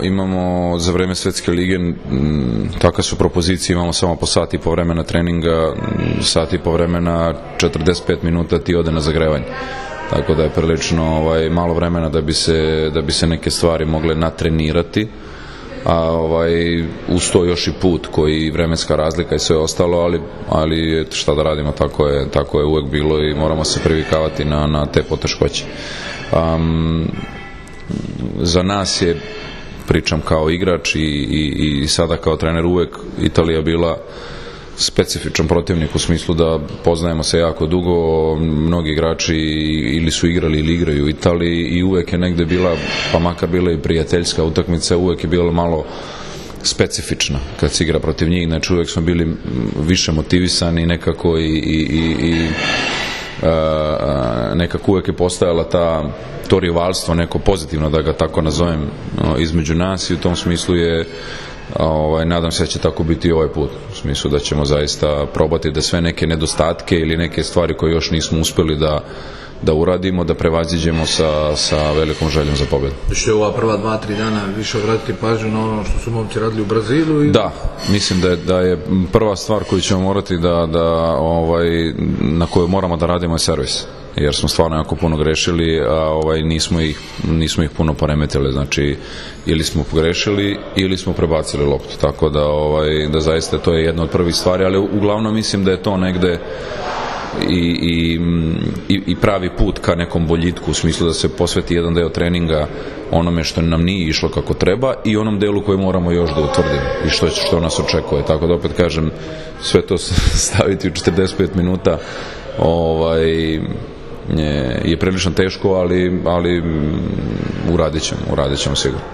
imamo za vreme Svetske lige, takve su propozicije, imamo samo po sat i po vremena treninga, sat i po vremena, 45 minuta ti ode na zagrevanje. Tako da je prilično malo vremena da bi se neke stvari mogle natrenirati, a uz to još i put koji vremenska razlika i sve ostalo, ali šta da radimo, tako je uvek bilo i moramo se privikavati na te poteškoće. Za nas je, pričam kao igrač i sada kao trener, uvek Italija bila specifičan protivnik u smislu da poznajemo se jako dugo, mnogi igrači ili su igrali ili igraju u Italiji i uvek je negde bila, pa makar bila i prijateljska utakmica, uvek je bila malo specifična kad se igra protiv njih, znači uvek smo bili više motivisani nekako i nekako uvek je postojala to rivalstvo, neko pozitivno da ga tako nazovem, između nas i u tom smislu je nadam se da će tako biti i ovaj put, u smislu da ćemo zaista probati da sve neke nedostatke ili neke stvari koje još nismo uspeli da uradimo, da prevaziđemo sa velikom željom za pobedu. Što je ova prva 2-3 dana više obratiti pažnju na ono što su momci radili u Brazilu? Da, mislim da je prva stvar koju ćemo morati na koju moramo da radimo je servis, jer smo stvarno jako puno grešili, a nismo ih puno poremetili, znači ili smo pogrešili ili smo prebacili loptu, tako da zaista to je jedna od prvih stvari, ali uglavnom mislim da je to negde i pravi put ka nekom boljitku, u smislu da se posveti jedan deo treninga onome što nam nije išlo kako treba i onom delu koji moramo još da utvrdimo i što nas očekuje, tako da opet kažem, sve to staviti u 45 minuta je prilično teško, ali uradit ćemo sigurno.